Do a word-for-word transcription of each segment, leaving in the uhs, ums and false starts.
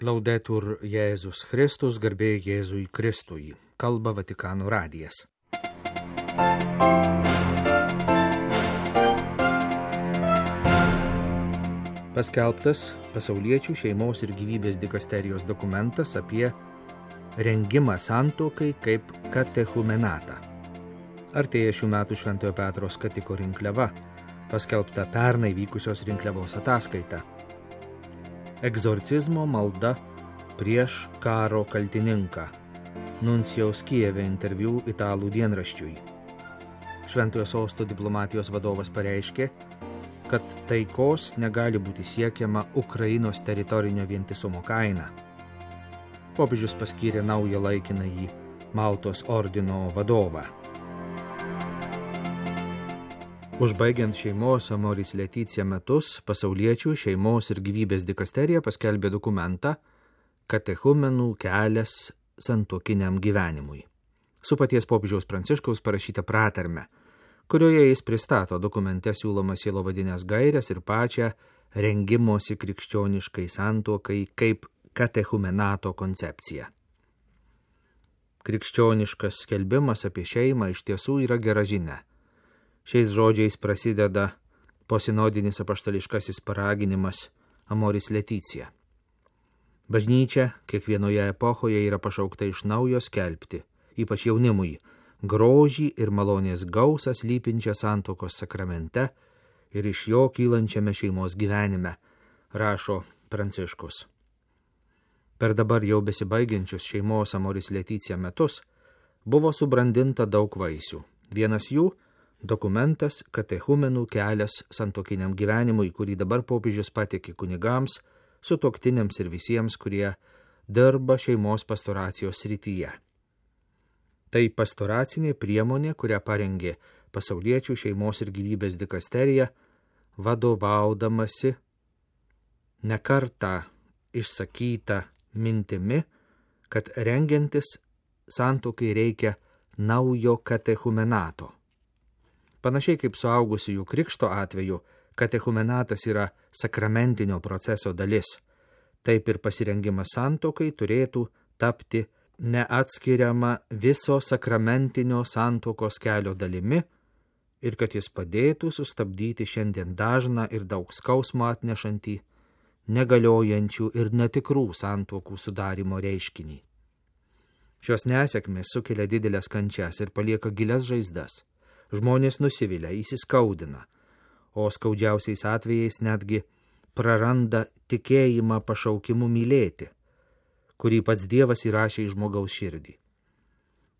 Laudetur Jėzus Kristus, garbė Jėzui Kristui. Kalba Vatikano radijas. Paskelbtas Pasauliečių šeimos ir gyvybės dikasterijos dokumentas apie rengimą santuokai kaip katechumenatą. Artėja šių metų Šventojo Petro skatiko rinkliava, paskelbta pernai vykusios rinkliavos ataskaita. Egzorcizmo malda prieš karo kaltininką. Nuncijaus Kijeve interviu italų dienraščiui. Šventojo sosto diplomatijos vadovas pareiškė, kad taikos negali būti siekiama Ukrainos teritorinio vientisumo kaina. Popiežius paskyrė naują laikinąjį Maltos ordino vadovą. Užbaigiant šeimos Amoris Laetitia metus, Pasauliečių šeimos ir gyvybės dikasterija paskelbė dokumentą Katechumenų kelias santuokiniam gyvenimui. Su paties popiežiaus Pranciškaus parašyta pratarme, kurioje jis pristato dokumente siūlomas sielovadinės gaires ir pačią rengimosi krikščioniškai santuokai kaip katechumenato koncepciją. Krikščioniškas skelbimas apie šeimą iš tiesų yra gera žinia. Šiais žodžiais prasideda posinodinis apaštališkasis paraginimas Amoris Laetitia. Bažnyčia kiekvienoje epochoje yra pašaukta iš naujo skelbti, ypač jaunimui, grožį ir malonės gausą slypinčią santuokos sakramente ir iš jo kylančiame šeimos gyvenime, rašo Pranciškus. Per dabar jau besibaigiančius šeimos Amoris Laetitia metus buvo subrandinta daug vaisių. Vienas jų dokumentas Katechumenų kelias santuokiniam gyvenimui, kurį dabar popiežius pateikė kunigams, sutuoktiniams ir visiems, kurie dirba šeimos pastoracijos srityje. Tai pastoracinė priemonė, kurią parengė Pasauliečių šeimos ir gyvybės dikasterija, vadovaudamasi nekartą išsakyta mintimi, kad rengiantis santuokai reikia naujo katechumenato. Panašiai kaip suaugusiųjų krikšto atveju, katechumenatas yra sakramentinio proceso dalis. Taip ir pasirengimas santuokai turėtų tapti neatskiriama viso sakramentinio santuokos kelio dalimi ir kad jis padėtų sustabdyti šiandien dažną ir daug skausmo atnešantį, negaliojančių ir netikrų santuokų sudarimo reiškinį. Šios nesėkmės sukelia didelės kančias ir palieka gilias žaizdas. Žmonės nusivilia, įsiskaudina, o skaudžiausiais atvejais netgi praranda tikėjimą pašaukimu mylėti, kurį pats Dievas įrašė į žmogaus širdį.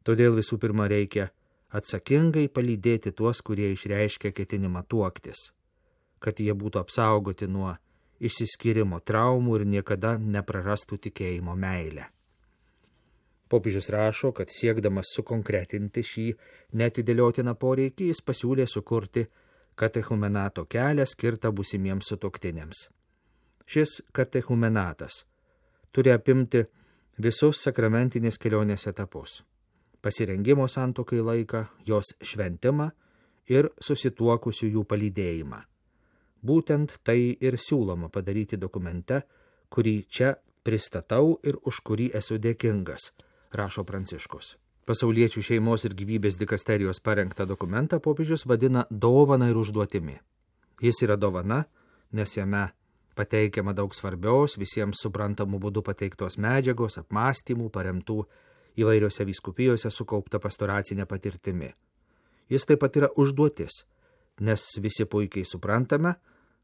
Todėl visų pirma reikia atsakingai palydėti tuos, kurie išreiškia ketinimą tuoktis, kad jie būtų apsaugoti nuo išsiskyrimo traumų ir niekada neprarastų tikėjimo meilę. Popiežius rašo, kad siekdamas sukonkretinti šį neatidėliotiną poreikį, jis pasiūlė sukurti katechumenato kelią skirtą būsimiems sutuoktiniams. Šis katechumenatas turi apimti visus sakramentinės kelionės etapus – pasirengimo santuokai laiką, jos šventimą ir susituokusiųjų palydėjimą. Būtent tai ir siūloma padaryti dokumente, kurį čia pristatau ir už kurį esu dėkingas, rašo Pranciškus. Pasauliečių šeimos ir gyvybės dikasterijos parengtą dokumentą popiežius vadina dovana ir užduotimi. Jis yra dovana, nes jame pateikiama daug svarbios, visiems suprantamų būdų pateiktos medžiagos, apmąstymų, paremtų įvairiose vyskupijose sukaupta pastoracinė patirtimi. Jis taip pat yra užduotis, nes visi puikiai suprantame,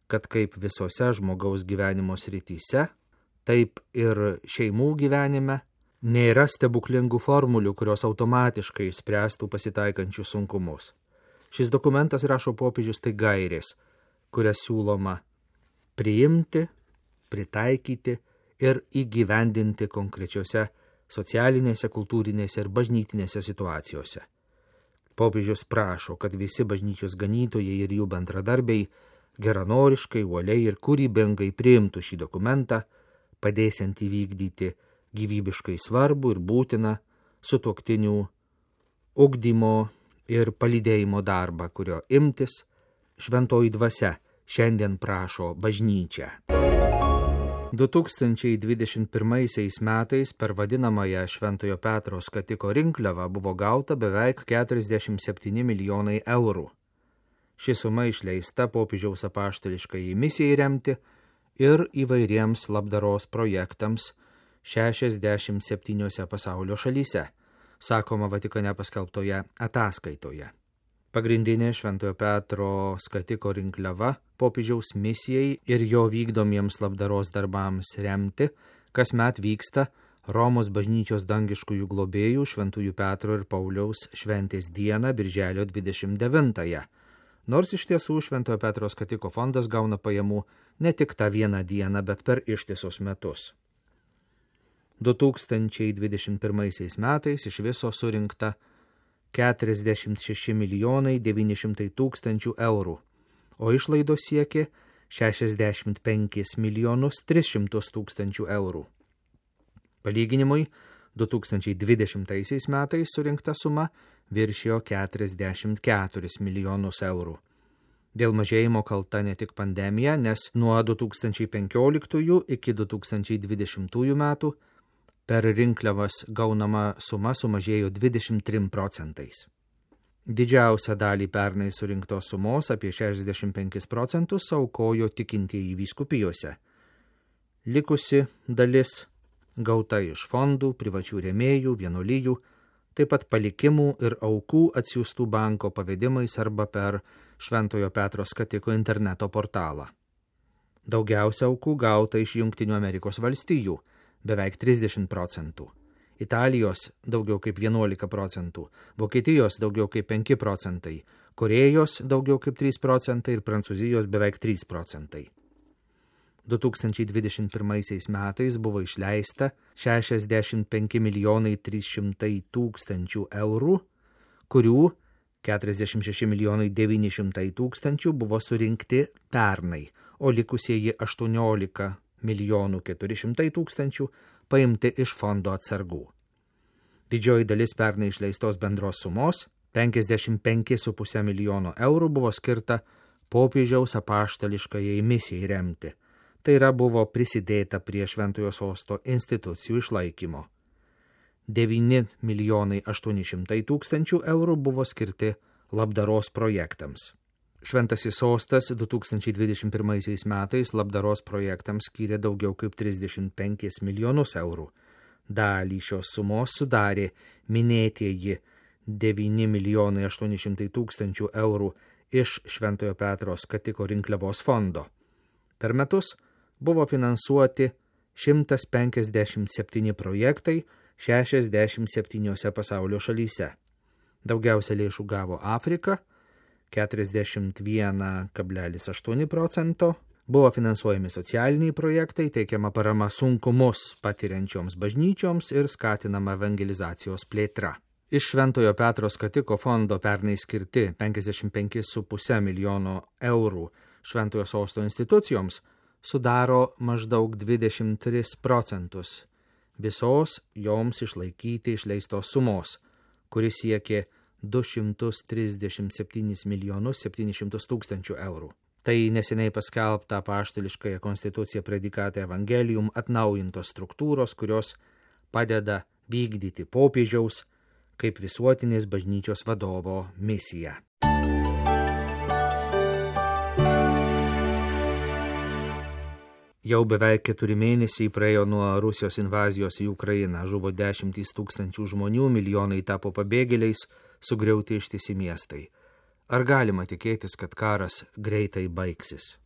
kad kaip visose žmogaus gyvenimo srityse, taip ir šeimų gyvenime nėra stebuklingų formulių, kurios automatiškai spręstų pasitaikančius sunkumus. Šis dokumentas, rašo popiežius, tai gairės, kurias siūloma priimti, pritaikyti ir įgyvendinti konkrečiose socialinėse, kultūrinėse ir bažnytinėse situacijose. Popiežius prašo, kad visi bažnyčios ganytojai ir jų bendradarbiai geranoriškai, uoliai ir kūrybingai priimtų šį dokumentą, padėsiant įvykdyti gyvybiškai svarbu ir būtina sutuoktinių ugdymo ir palydėjimo darbą, kurio imtis šventoji dvasia šiandien prašo bažnyčia. du tūkstančiai dvidešimt pirmaisiais metais per vadinamąją Šventojo Petro skatiko rinkliavą buvo gauta beveik keturiasdešimt septyni milijonai eurų. Ši suma išleista popiežiaus apaštališkai misijai remti ir įvairiems labdaros projektams šešiasdešimt septyniose pasaulio šalyse, sakoma Vatikane paskelbtoje ataskaitoje. Pagrindinė Šventojo Petro skatiko rinkliava popiežiaus misijai ir jo vykdomiems labdaros darbams remti kasmet vyksta Romos bažnyčios dangiškųjų globėjų Šventųjų Petro ir Pauliaus šventės dieną birželio dvidešimt devintąją. Nors iš tiesų Šventojo Petro skatiko fondas gauna pajamų ne tik tą vieną dieną, bet per ištisus metus. du tūkstančiai dvidešimt pirmaisiais metais iš viso surinkta keturiasdešimt šeši milijonai devyni šimtai tūkstančių eurų, o išlaidos siekė šešiasdešimt penkis milijonus tris šimtus tūkstančių eurų. Palyginimui, du tūkstančiai dvidešimtaisiais metais surinkta suma viršijo keturiasdešimt keturis milijonus eurų. Dėl mažėjimo kalta ne tik pandemija, nes nuo du tūkstančiai penkioliktųjų iki du tūkstančiai dvidešimtųjų metų per rinkliavas gaunama suma sumažėjo dvidešimt trim procentais. Didžiausią dalį pernai surinktos sumos, apie šešiasdešimt penkis procentus, aukojo tikintieji vyskupijose. Likusi dalis gauta iš fondų, privačių rėmėjų, vienuolijų, taip pat palikimų ir aukų atsiųstų banko pavedimais arba per Šventojo Petro skatiko interneto portalą. Daugiausia aukų gauta iš Jungtinių Amerikos valstijų, beveik trisdešimt procentų, Italijos daugiau kaip vienuolika procentų, Vokietijos daugiau kaip penki procentai, Korėjos daugiau kaip trys procentai ir Prancūzijos beveik trys procentai. du tūkstančiai dvidešimt pirmaisiais metais buvo išleista šešiasdešimt penki milijonai trys šimtai tūkstančių eurų, kurių keturiasdešimt šeši milijonai devyni šimtai tūkstančių buvo surinkti pernai, o likusieji aštuoniolika milijonų keturi šimtai tūkstančių paimti iš fondo atsargų. Didžioji dalis pernai išleistos bendros sumos, penkiasdešimt penki su puse milijono eurų, buvo skirta popiežiaus apaštališkajai misijai remti. Tai yra buvo prisidėta prie Šventojo Sosto institucijų išlaikymo. devyni milijonai aštuoni šimtai tūkstančių eurų buvo skirti labdaros projektams. Šventasis Sostas du tūkstančiai dvidešimt pirmaisiais metais labdaros projektams skyrė daugiau kaip trisdešimt penkis milijonus eurų. Dalį šios sumos sudarė minėtieji devyni milijonai aštuoni šimtai tūkstančių eurų iš Šventojo Petro skatiko rinkliavos fondo. Per metus buvo finansuoti šimtas penkiasdešimt septyni projektai šešiasdešimt septyniose pasaulio šalyse. Daugiausia lėšų gavo Afrika, keturiasdešimt vienas kablelis aštuoni procento, buvo finansuojami socialiniai projektai, teikiama parama sunkumus patiriančioms bažnyčioms ir skatinama evangelizacijos plėtra. Iš Šventojo Petro skatiko fondo pernai skirti penkiasdešimt penki su puse milijono eurų Šventojo Sosto institucijoms sudaro maždaug dvidešimt tris procentus visos joms išlaikyti išleistos sumos, kuris siekė du šimtus trisdešimt septynis milijonus septynis šimtus tūkstančių eurų. Tai neseniai paskelbta apaštališkąją konstituciją Predikate Evangelium atnaujintos struktūros, kurios padeda vykdyti popiežiaus kaip visuotinės bažnyčios vadovo misiją. Jau beveik keturi mėnesiai praėjo nuo Rusijos invazijos į Ukrainą, žuvo dešimtys tūkstančių žmonių, milijonai tapo pabėgėliais, sugriauti ištisi miestai. Ar galima tikėtis, kad karas greitai baigsis?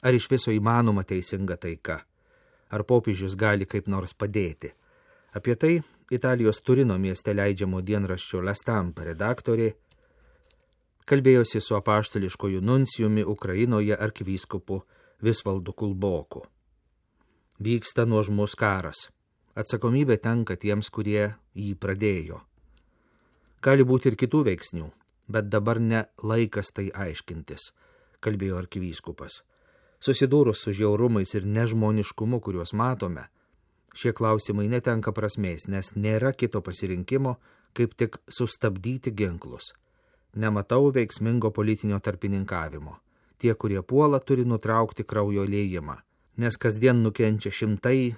Ar iš viso įmanoma teisinga taika? Ar popiežius gali kaip nors padėti? Apie tai Italijos Turino mieste leidžiamo dienraščio La Stampa redaktorė kalbėjosi su apaštališkoju nuncijumi Ukrainoje arkivyskupu Visvaldu Kulboku. Vyksta nuožmus karas. Atsakomybė tenka tiems, kurie jį pradėjo. Gali būti ir kitų veiksnių, bet dabar ne laikas tai aiškintis, kalbėjo arkivyskupas. Susidūrus su žiaurumais ir nežmoniškumu, kuriuos matome, šie klausimai netenka prasmės, nes nėra kito pasirinkimo, kaip tik sustabdyti ginklus. Nematau veiksmingo politinio tarpininkavimo. Tie, kurie puola, turi nutraukti kraujo liejimą. nes kasdien nukenčia šimtai,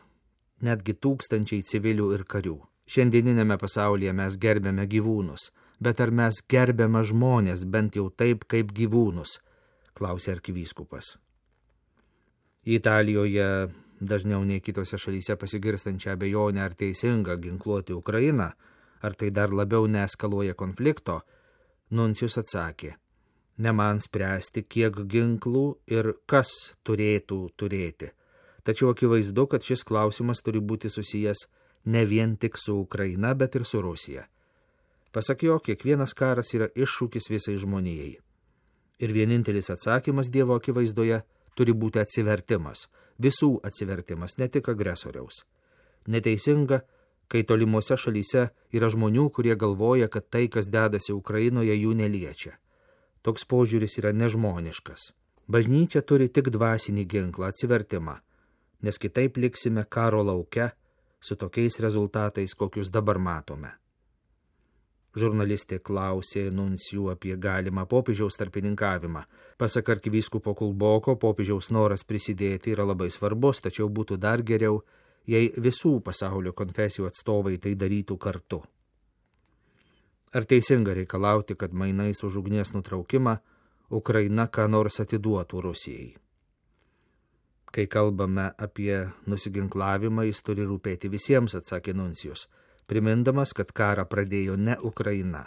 netgi tūkstančiai civilių ir karių. Šiandieninėme pasaulyje mes gerbėme gyvūnus, bet ar mes gerbėme žmonės bent jau taip kaip gyvūnus, klausė arkivyskupas. Italijoje dažniau nei kitose šalyse pasigirstančią abejonę, ar teisinga ginkluoti Ukrainą, ar tai dar labiau neeskaluoja konflikto, nuncijus atsakė: ne man spręsti, kiek ginklų ir kas turėtų turėti. Tačiau akivaizdu, kad šis klausimas turi būti susijęs ne vien tik su Ukraina, bet ir su Rusija. Pasak jo, kiekvienas karas yra iššūkis visai žmonijai. Ir vienintelis atsakymas Dievo akivaizdoje turi būti atsivertimas, visų atsivertimas, ne tik agresoriaus. Neteisinga, kai tolimuose šalyse yra žmonių, kurie galvoja, kad tai, kas dedasi Ukrainoje, jų neliečia. Toks požiūris yra nežmoniškas. Bažnyčia turi tik dvasinį ginklą, atsivertimą, nes kitaip liksime karo lauke su tokiais rezultatais, kokius dabar matome. Žurnalistė klausė nuncijų apie galimą popiežiaus tarpininkavimą. Pasak arkivyskupo Kulboko, popiežiaus noras prisidėti yra labai svarbus, tačiau būtų dar geriau, jei visų pasaulio konfesijų atstovai tai darytų kartu. Ar teisinga reikalauti, kad mainais už ugnies nutraukimą Ukraina ką nors atiduotų Rusijai? Kai kalbame apie nusiginklavimą, jis turi rūpėti visiems, atsakė nuncijus, primindamas, kad karą pradėjo ne Ukraina.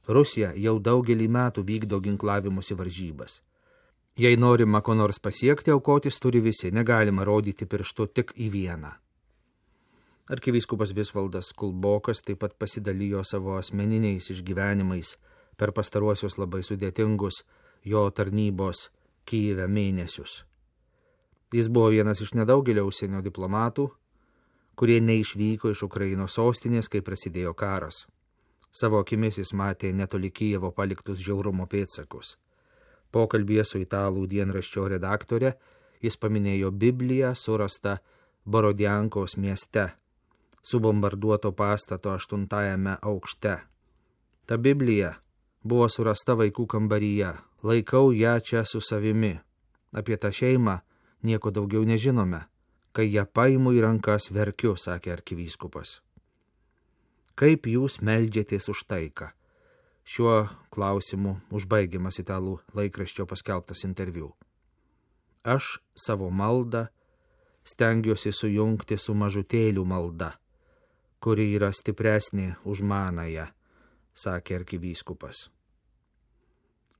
Rusija jau daugelį metų vykdo ginklavimusi varžybas. Jei norima ko nors pasiekti, aukotis turi visi, negalima rodyti pirštu tik į vieną. Arkivyskupas Visvaldas Kulbokas taip pat pasidalijo savo asmeniniais išgyvenimais per pastaruosius labai sudėtingus jo tarnybos Kyjive mėnesius. Jis buvo vienas iš nedaugelio užsienio diplomatų, kurie neišvyko iš Ukrainos sostinės, kai prasidėjo karas. Savo akimis jis matė netoli Kijevo paliktus žiaurumo pėdsakus. Pokalbyje su italų dienraščio redaktore jis paminėjo Bibliją surastą Borodiankos mieste, subombarduoto pastato aštuntajame aukšte. Ta Biblija buvo surasta vaikų kambaryje, laikau ją čia su savimi. Apie tą šeimą nieko daugiau nežinome. Kai ją paimu į rankas, verkiu, sakė arkivyskupas. Kaip jūs meldžiatės už taiką? Šiuo klausimu užbaigiamas italų laikraščio paskelbtas interviu. Aš savo maldą stengiuosi sujungti su mažutėlių malda, kuri yra stipresnė už manąją, sakė arkivyskupas.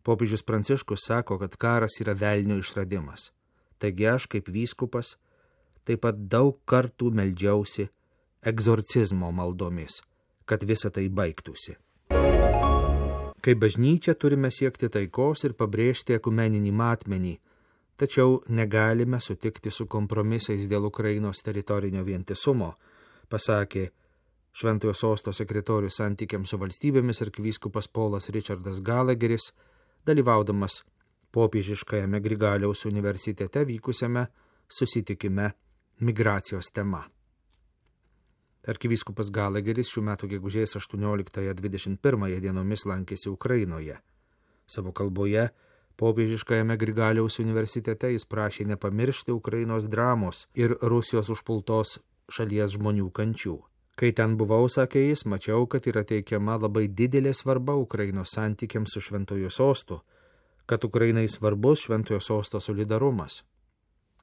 Popiežius Pranciškus sako, kad karas yra velnio išradimas. Taigi aš, kaip vyskupas, taip pat daug kartų meldžiausi egzorcizmo maldomis, kad visa tai baigtųsi. Kaip bažnyčia turime siekti taikos ir pabrėžti ekumeninį matmenį, tačiau negalime sutikti su kompromisais dėl Ukrainos teritorinio vientisumo, pasakė Šventojo Sosto sekretorius santykiams su valstybėmis arkivyskupas Polas Richardas Gallagheris, dalyvaudamas popiežiškajame Grigaliaus universitete vykusiame susitikime migracijos tema. Arkivyskupas Gallagheris šių metų gegužės aštuonioliktąją dvidešimt pirmąją dienomis lankėsi Ukrainoje. Savo kalboje popiežiškajame Grigaliaus universitete jis prašė nepamiršti Ukrainos dramos ir Rusijos užpultos šalies žmonių kančių. Kai ten buvau, sakė jis, mačiau, kad yra teikiama labai didelė svarba Ukrainos santykiams su Šventojo Sostu, kad Ukrainai svarbus Šventojo Sosto solidarumas.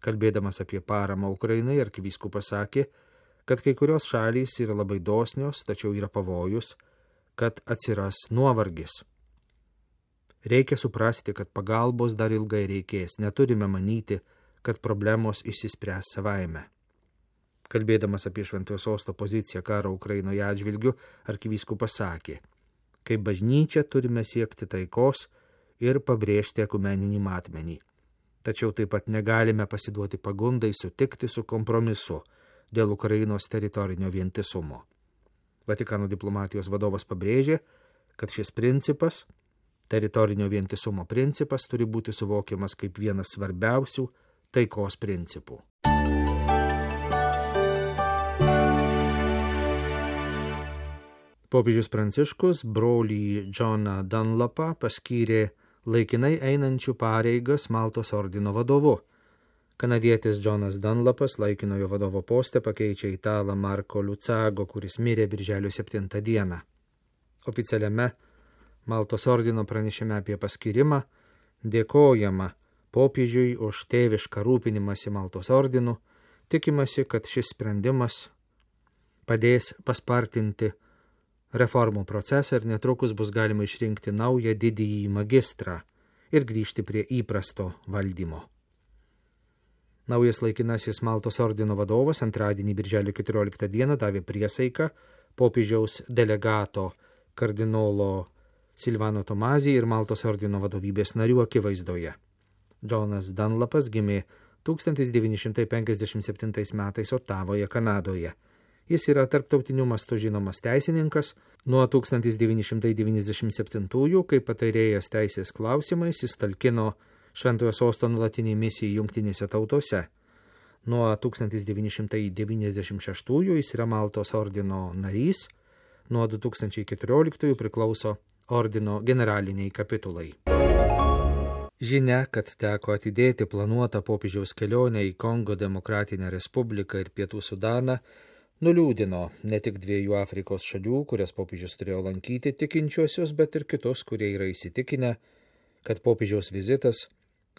Kalbėdamas apie paramą Ukrainai, arkivyskupas sakė, kad kai kurios šalys yra labai dosnios, tačiau yra pavojus, kad atsiras nuovargis. Reikia suprasti, kad pagalbos dar ilgai reikės, neturime manyti, kad problemos išsispręs savaime. Kalbėdamas apie Šventojo Sosto poziciją karo Ukrainoje atžvilgiu, arkivyskupas sakė, kaip bažnyčia turime siekti taikos ir pabrėžti ekumeninį matmenį. Tačiau taip pat negalime pasiduoti pagundai sutikti su kompromisu dėl Ukrainos teritorinio vientisumo. Vatikano diplomatijos vadovas pabrėžė, kad šis principas, teritorinio vientisumo principas, turi būti suvokiamas kaip vienas svarbiausių taikos principų. Popiežius Pranciškus brolį Džoną Dunlapą paskyrė laikinai einančių pareigas Maltos ordino vadovu, Kanadietis Džonas Dunlapas laikinojo vadovo poste pakeičia italą Marko Lucago, kuris mirė birželio septintą dieną. Oficialiame Maltos ordino pranešime apie paskirimą dėkojama popiežiui už tėvišką rūpinimąsi Maltos ordinu, tikimasi, kad šis sprendimas padės paspartinti reformų procesą ir netrukus bus galima išrinkti naują didįjį magistrą ir grįžti prie įprasto valdymo. Naujas laikinasis Maltos ordino vadovas antradienį birželio keturioliktą dieną davė priesaiką popiežiaus delegato kardinolo Silvano Tomazį ir Maltos ordino vadovybės narių akivaizdoje. Džonas Dunlapas gimė tūkstantis devyni šimtai penkiasdešimt septintais metais Otavoje, Kanadoje. Jis yra tarptautiniu mastu žinomas teisininkas. Nuo tūkstantis devyni šimtai devyniasdešimt septintųjų, kaip patarėjas teisės klausimais, jis talkino Šventojo Sosto nuolatinį misiją Jungtinėse tautose. Nuo tūkstantis devyni šimtai devyniasdešimt šeštųjų jis yra Maltos ordino narys. Nuo du tūkstančiai keturioliktųjų priklauso ordino generaliniai kapitulai. Žinia, kad teko atidėti planuotą popiežiaus kelionę į Kongo Demokratinę Respubliką ir Pietų Sudaną, nuliūdino ne tik dviejų Afrikos šalių, kurias popiežius turėjo lankyti tikinčiuosius, bet ir kitus, kurie yra įsitikinę, kad popiežiaus vizitas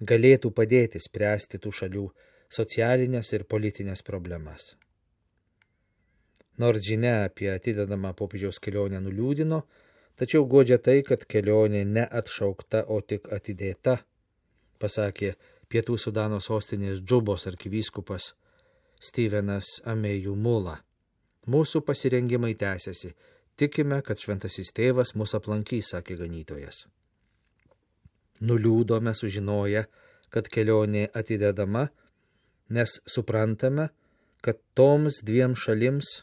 galėtų padėti spręsti tų šalių socialinės ir politinės problemas. Nors žinia apie atidedamą popiežiaus kelionę nuliūdino, tačiau guodžia tai, kad kelionė neatšaukta, o tik atidėta, pasakė Pietų Sudano sostinės Džubos arkivyskupas Stevenas Amejų Mula. Mūsų pasirengimai tęsiasi. Tikime, kad šventasis tėvas mus aplankys, sakė ganytojas. Nuliūdome sužinoję, kad kelionė atidedama, nes suprantame, kad toms dviem šalims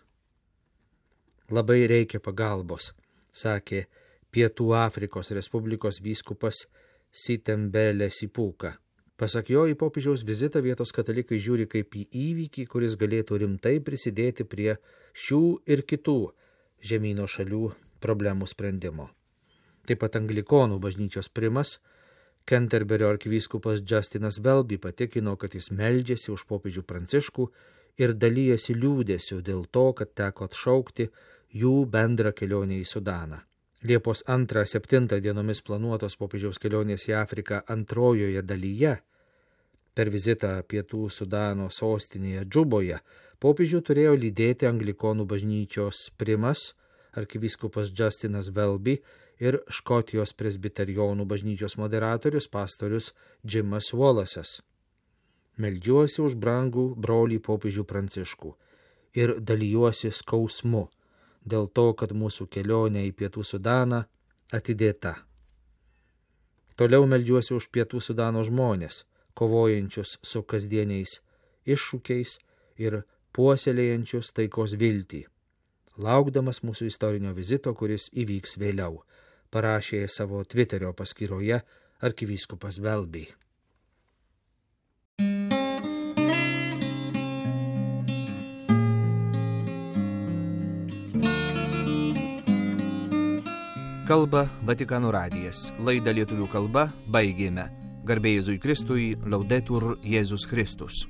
labai reikia pagalbos, sakė Pietų Afrikos Respublikos vyskupas Sitembele Sipuka. Pasak jo, į popiežiaus vizitą vietos katalikai žiūri kaip į įvykį, kuris galėtų rimtai prisidėti prie šių ir kitų žemyno šalių problemų sprendimo. Taip pat anglikonų bažnyčios primas, Kenterberio arkivyskupas Justinas Welby patikino, kad jis meldžiasi už popiežių Pranciškų ir dalyjasi liūdėsiu dėl to, kad teko atšaukti jų bendrą kelionę į Sudaną. Liepos antrą septintą dienomis planuotos popiežiaus kelionės į Afriką antrojoje dalyje, per vizitą Pietų Sudano sostinėje Džuboje, popiežių turėjo lydėti anglikonų bažnyčios primas, arkivyskupas Justinas Welby ir Škotijos presbiterijonų bažnyčios moderatorius pastorius Jimas Wallace'as. Meldžiuosi už brangų brolį popiežių Pranciškų ir dalyjuosi skausmu dėl to, kad mūsų kelionė į Pietų Sudaną atidėta. Toliau meldžiuosi už Pietų Sudano žmonės, kovojančius su kasdieniais iššūkiais ir puoselėjančius taikos viltį, laukdamas mūsų istorinio vizito, kuris įvyks vėliau, parašė savo Twitterio paskyroje arkivyskupas Welby. Kalba Vatikano radijas. Laidą lietuvių kalba baigėme. Garbė Jėzui Kristui, Laudetur Jėzus Kristus.